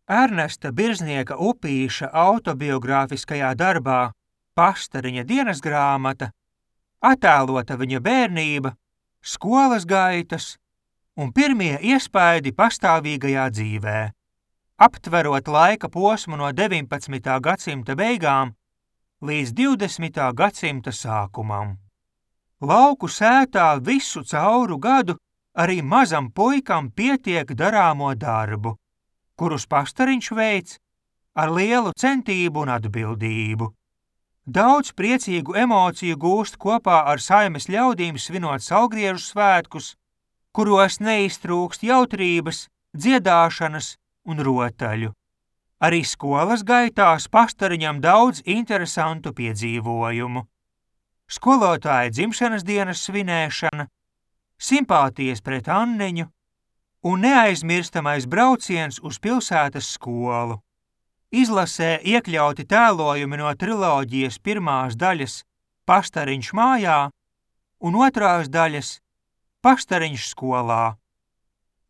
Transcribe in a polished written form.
Ernesta Birznieka Upīša autobiogrāfiskajā darbā Pastariņa dienasgrāmata attēlota viņa bērnība, skolas gaitas un pirmie iespaidi pastāvīgajā dzīvē, aptverot laika posmu no 19. gadsimta beigām līdz 20. gadsimta sākumam. Lauku sētā visu cauru gadu arī mazam puikam pietiek darāmo darbu, kurus Pastariņš veic ar lielu centību un atbildību. Daudz priecīgu emociju gūst kopā ar saimes ļaudīm svinot Saulgriežu svētkus, kuros neiztrūkst jautrības, dziedāšanas un rotaļu. Arī skolas gaitās Pastariņam daudz interesantu piedzīvojumu. Skolotāja dzimšanas dienas svinēšana, simpātijas pret Anniņu un neaizmirstamais brauciens uz pilsētas skolu. Izlasē iekļauti tēlojumi no triloģijas pirmās daļas Pastariņš mājā un otrās daļas Pastariņš skolā.